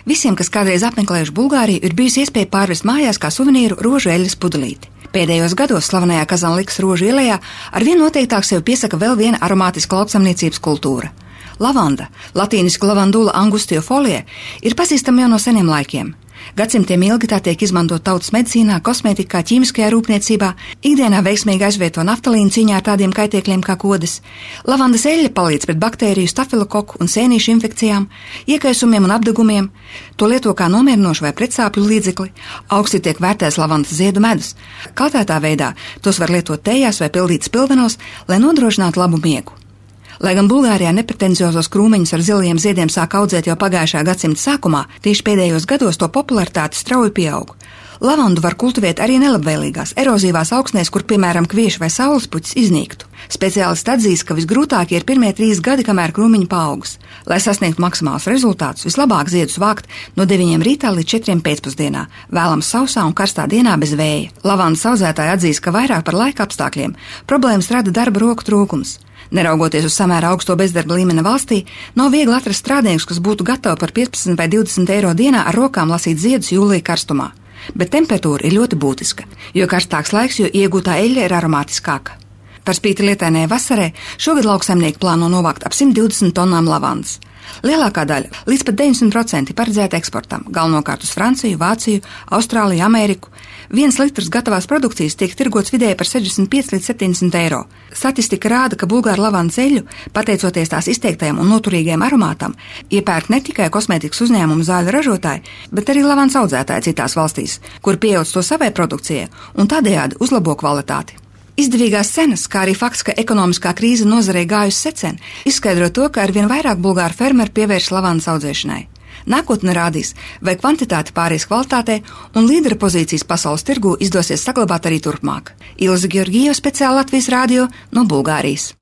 Visiem, kas kādreiz apmeklējuši Bulgāriju, ir bijusi iespēja pārvest mājās kā suvenīru rožu eļļas pudelīti. Pēdējos gados slavenajā Kazanlikas rožu ielējā arvien noteiktāk sev piesaka vēl viena aromātiska lauksaimniecības kultūra. Lavanda, latīniski lavandula angustiofolie, ir pazīstama jau no seniem laikiem. Gadsimtiem ilgi tā tiek izmantot tautas medicīnā, kosmētikā, ķīmiskajā rūpniecībā, ikdienā veiksmīgi aizvieto naftalīnu cīņā ar tādiem kaitēkļiem kā kodas. Lavandas eļļa palīdz pret baktēriju, stafilokoku un sēnīšu infekcijām, iekaisumiem un apdegumiem. To lieto kā nomierinošu vai pretsāpju līdzekli. Augsti tiek vērtēts lavandas ziedu medus. Kaltētā veidā tos var lietot tējās vai pildīt spilvenos, lai nodrošinātu labu miegu. Lai gan Bulgārijā nepretenziozos krūmiņus ar zilajiem ziediem sāk audzēt jau pagājušā gadsimta sākumā, tieši pēdējos gados to popularitāte strauji pieaug. Lavandu var kultivēt arī nelabvēlīgās, erozīvās augsnēs, kur, piemēram, kvieši vai saulespuķis iznīktu. Speciālisti atzīst, ka visgrūtākie ir pirmie 3 gadi, kamēr krūmiņi paaugs. Lai sasniegtu maksimālus rezultātus, vislabāk ziedus vākt no 9 rītā līdz 4 pēcpusdienā, vēlams sausā un karstā dienā bez vēja. Lavandas audzētāji atzīst, ka vairāk par laika apstākļiem problēmas rada darba roku trūkums. Neraugoties uz samērā augsto bezdarba līmeni valstī, nav viegli atrast strādniekus, kas būtu gatavi par 15 vai 20 eiro dienā ar rokām lasīt ziedus jūlija karstumā. Bet temperatūra ir ļoti būtiska, jo karstāks laiks, jo iegūtā eļļa ir aromātiskāka. Par spīti lietainajai vasarai šogad lauksaimnieki plāno novākt ap 120 tonnām lavandas. Lielākā daļa, līdz pat 90%, paredzēta eksportam, galvenokārt uz Franciju, Vāciju, Austrāliju, Ameriku. 1 litrs gatavās produkcijas tiek tirgots vidēji par 65 līdz 70 eiro. Statistika rāda, ka Bulgāru lavandas eļļu, pateicoties tās izteiktajam un noturīgajam aromātam, iepērk ne tikai kosmētikas uzņēmumu zāļu ražotāji, bet arī lavandas audzētāji citās valstīs, kur pieauc to savai produkcijai un tādējādi uzlabo kvalitāti. Izdevīgās cenas, kā arī fakts, ka ekonomiskā krīze nozarei gājusi secen, izskaidro to, ka arvien vairāk bulgāru fermeri pievērš lavandas audzēšanai. Nākotne rādīs, vai kvantitāte pāries kvalitātei un līdera pozīcijas pasaules tirgū izdosies saglabāt arī turpmāk. Ilze Georgijeva, speciāli Latvijas radio no Bulgārijas.